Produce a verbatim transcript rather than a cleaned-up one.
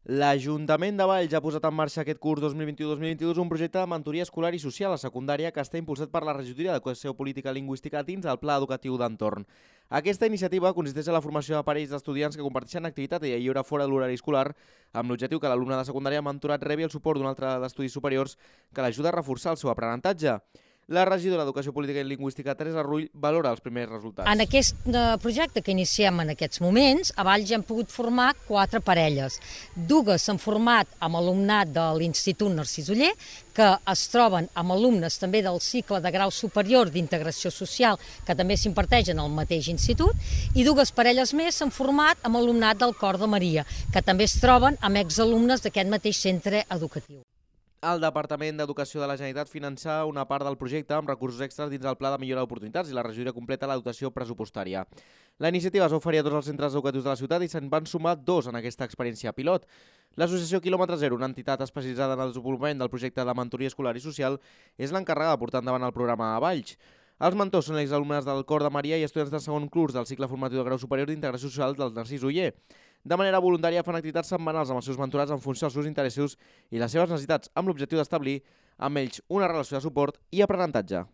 L'Ajuntament de Valls ha posat en marxa aquest curs dos mil vint-i-u dos mil vint-i-dos un projecte de mentoria escolar i social a secundària que està impulsat per la Regidoria d'Educació Política i Lingüística dins del Pla Educatiu d'Entorn. Aquesta iniciativa consisteix en la formació de parells d'estudiants que comparteixen activitat i lleure fora de l'horari escolar amb l'objectiu que l'alumne de secundària mentorat rebi el suport d'un altre d'estudis superiors que l'ajuda a reforçar el seu aprenentatge. La regidora d'Educació Política i Lingüística, Teresa Rull, valora els primers resultats. En aquest projecte que iniciem en aquests moments, a Valls hem pogut formar quatre parelles. Dues s'han format amb alumnat de l'Institut Narcís Oller, que es troben amb alumnes també del cicle de grau superior d'integració social, que també s'imparteix en el mateix institut, i dues parelles més s'han format amb alumnat del Cor de Maria, que també es troben amb exalumnes d'aquest mateix centre educatiu. El Departament d'Educació de la Generalitat finança una part del projecte amb recursos extras dins del Pla de Millora d'Oportunitats i la regidoria completa la dotació pressupostària. La iniciativa es va oferir a tots els centres educatius de la ciutat i se'n van sumar dos en aquesta experiència pilot. L'Associació Quilòmetre Zero, una entitat especialitzada en el desenvolupament del projecte de mentoria escolar i social, és l'encarregada de portar endavant el programa a Valls. Els mentors són exalumnes del Cor de Maria i estudiants de segon curs del cicle formatiu de grau superior d'integració social del Narcís Oller. De manera voluntària fan activitats setmanals amb els seus mentorats en funció dels seus interessos i les seves necessitats, amb l'objectiu d'establir amb ells una relació de suport i aprenentatge.